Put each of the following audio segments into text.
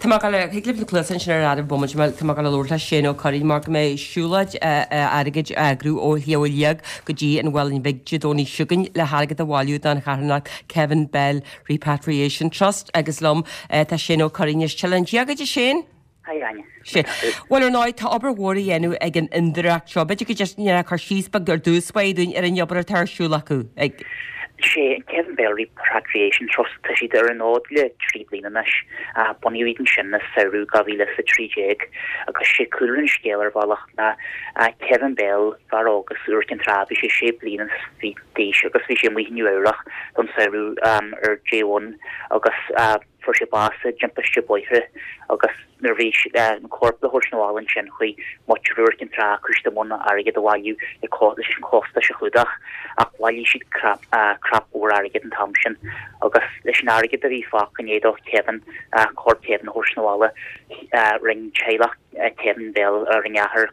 Tá mé ag dul, thig libh na cluasa ansin ar fheadar bomaite mar tá mé ag dul a labhairt le Shane Ó Curraoin mar go mbeidh siúlóid airgid á eagrú ó Shliabh Liag go dtí an Mhuileann Bhig Dé Domhnaigh seo chugainn le hairgead a bhailiú don charthanacht Kevin Bell Repatriation Trust agus liom tá Shane Ó Curraoin as Cill Dia duit a Shane. Hi Áine. Sea. Bhuel ar ndóigh tá obair mhór á dhéanamh ag an fhondúireacht seo. B'fhéidir go ndéanfá cur síos beag ar dtús báire dúinn ar an obair atá ar siúl acu ag. Sé an Kevin Bell Repatriation Trust, tá siad ar an fhód le 3 bliana anois. Bunaíodh iad ansin i samhradh 2013 agus sé cúlra an scéil ar bhealach ná Kevin Bell, fear óg as Iúr Cinn Trá, bhí sé sé bliana is fiche d'aois agus bhí sé amuigh i Nua Eabhrach don samhradh ar J1 agus fuair sé bás i dtimpiste bóithre agus nuair a bhí an corp le thabhairt 'na bhaile ansin chuaigh muintir Iúr Cinn Trá chuaigh siad i mbun airgead a bhailiú leis an chostais a chlúdach ach bhailigh siad crap mhór airgid an t-am sin agus leis an airgead a bhí fágtha i ndiaidh do Kevin corp Kevin a thabhairt 'na bhaile rinne teaghlach Kevin Bell rinne a athair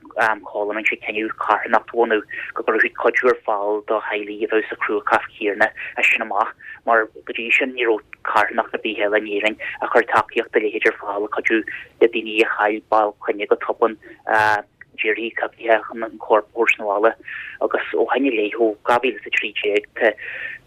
Colin rinne sé cinneadh carthanacht a bhunú go gcuirfeadh siad cuidiú ar fáil do theaghlaigh a bheadh sa chruachás céanna as sin amach mar go dtí sin ní raibh carthanacht ar bith eile in Éirinn a chuir tacaíocht dá leithéid ar fáil le cuidiú le daoine a chaill ball clainne go tobann i dtíorthaí coimhthíocha chun an corp a thabhairt 'na bhaile agus ó shin i leith ó 2013 tá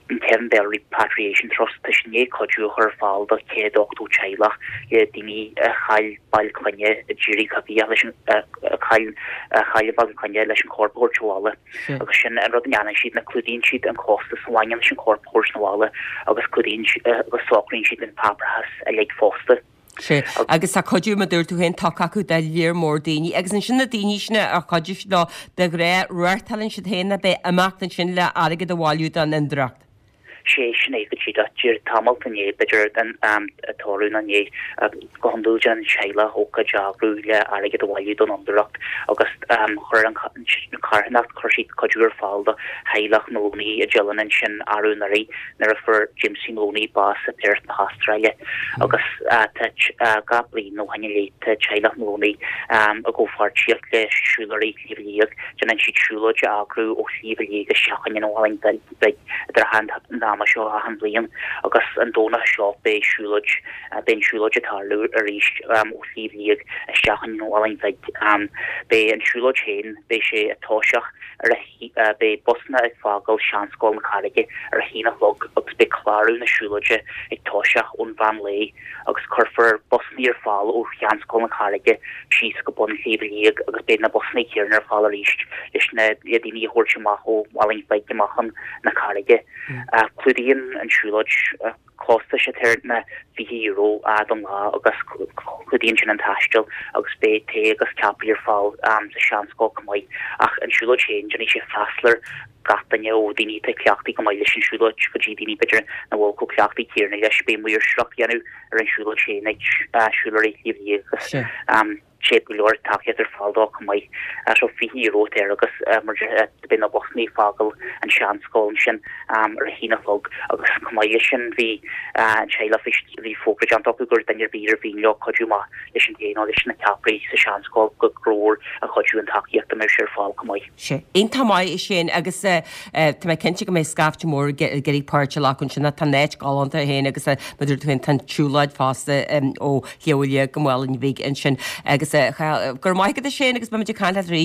an Kevin Bell Repatriation Trust tá siad i ndiaidh cuidiú a chur ar fáil do 180 teaghlach le daoine a chaill baill clainne i dtíortha coimhthíocha leis an a chaill a chaill a baill clainne leis an chorp a thabhairt abhaile. Agus sin an rud a ndéanann siad ná clúdaíonn siad an costas a bhaineann leis an chorp a thabhairt 'na bhaile agus clúdaíonn agus socraíonn siad an páipéarachas uilig fosta. Sea, agus tá cuidiú, mar a dúirt tú féin, tugtha acu do lear mór daoine. Agus ansin na daoine sin ar chuidigh siad leo, de ghnáth, reáchtálann siad féin ab ea imeacht ansin le airgead a bhailiú don fhondúireacht. Sea, sin é go díreach. Díreach tamall i ndiaidh, b'fhéidir, an tórramh nó i ndiaidh, go hiondúil déanann an teaghlach ócáid a eagrú le airgead a bhailiú don fhondúireacht agus chuir an charthanacht, chuir siad cuidiú ar fáil do theaghlach Moloney i dTealainn ansin arú anuraidh nuair a fuair Jamesie Moloney bás i Perth na hAstráile agus tá gach bliain ó shin i leith tá teaghlach Moloney i gcomhpháirtíocht le Siúlóirí Shliabh Liag, déanann siad siúlóid a eagrú ó Shliabh Liag isteach chuig an Mhuileann Bheag i dtrátha an ama seo achan bhliain agus an Domhnach seo beidh siúlóid beidh an siúlóid ag tarlú arís ó Shliabh Liag isteach chuig an Mhuileann Bheag. Beidh an siúlóid féin beidh sé ag toiseacht ar a Beidh busanna ag fágáil Seanscoil na Carraige ar a haon a chlog agus beidh clárú na siúlóide ag toiseacht ón mheán lae agus cuirfear busanna ar fáil ó Sheanscoil na Carraige síos go bun Shliabh Liag agus beidh na busanna céanna ar fáil arís leis na le daoine a thabhairt amach ó Mhuileann Bheag amach chun na Carraige. Clúdaíonn an siúlóid. Costas atá air ná €20 don lá agus clúdaíonn sin an taisteal agus beidh tae agus ceapairí ar fáil sa Seanscoil chomh maith. Ach an siúlóid féin, déanfaidh sé freastal ar gach duine ó daoine atá cleachtaithe go maith leis an siúlóid go dtí daoine b'fhéidir nach bhfuil chomh cleachtaithe céanna leis. Beidh maoirseacht á dhéanamh ar an siúlóid féin ag Siúlóirí Shliabh Liag agus sé go leor tacaíocht ar fáil dó chomh maith. So €20 atá air agus mar a deir beidh na busanna ag fágáil an Seanscoil ansin ar a haon a chlog agus chomh maith leis sin bhí an teaghlach bhí fógra déanta acu gur duine ar bith ar mhian leo cuidiú amach leis an tae nó leis na ceapairí sa Seanscoil go mór an chuidiú an tacaíocht a mbeadh sé ar fáil chomh maith. Sea, iontach maith é sin agus tá mé cinnte go mbeidh scaifte mór ag iarraidh páirt a ghlacadh ansin. Tá an áit galánta féin agus mar a dúirt tú féin tá an tsiúlóid fosta ó Shliabh Liag go Muileann Bheag ansin agus go raibh maith agat a Shane agus beimid ag caint leat arís.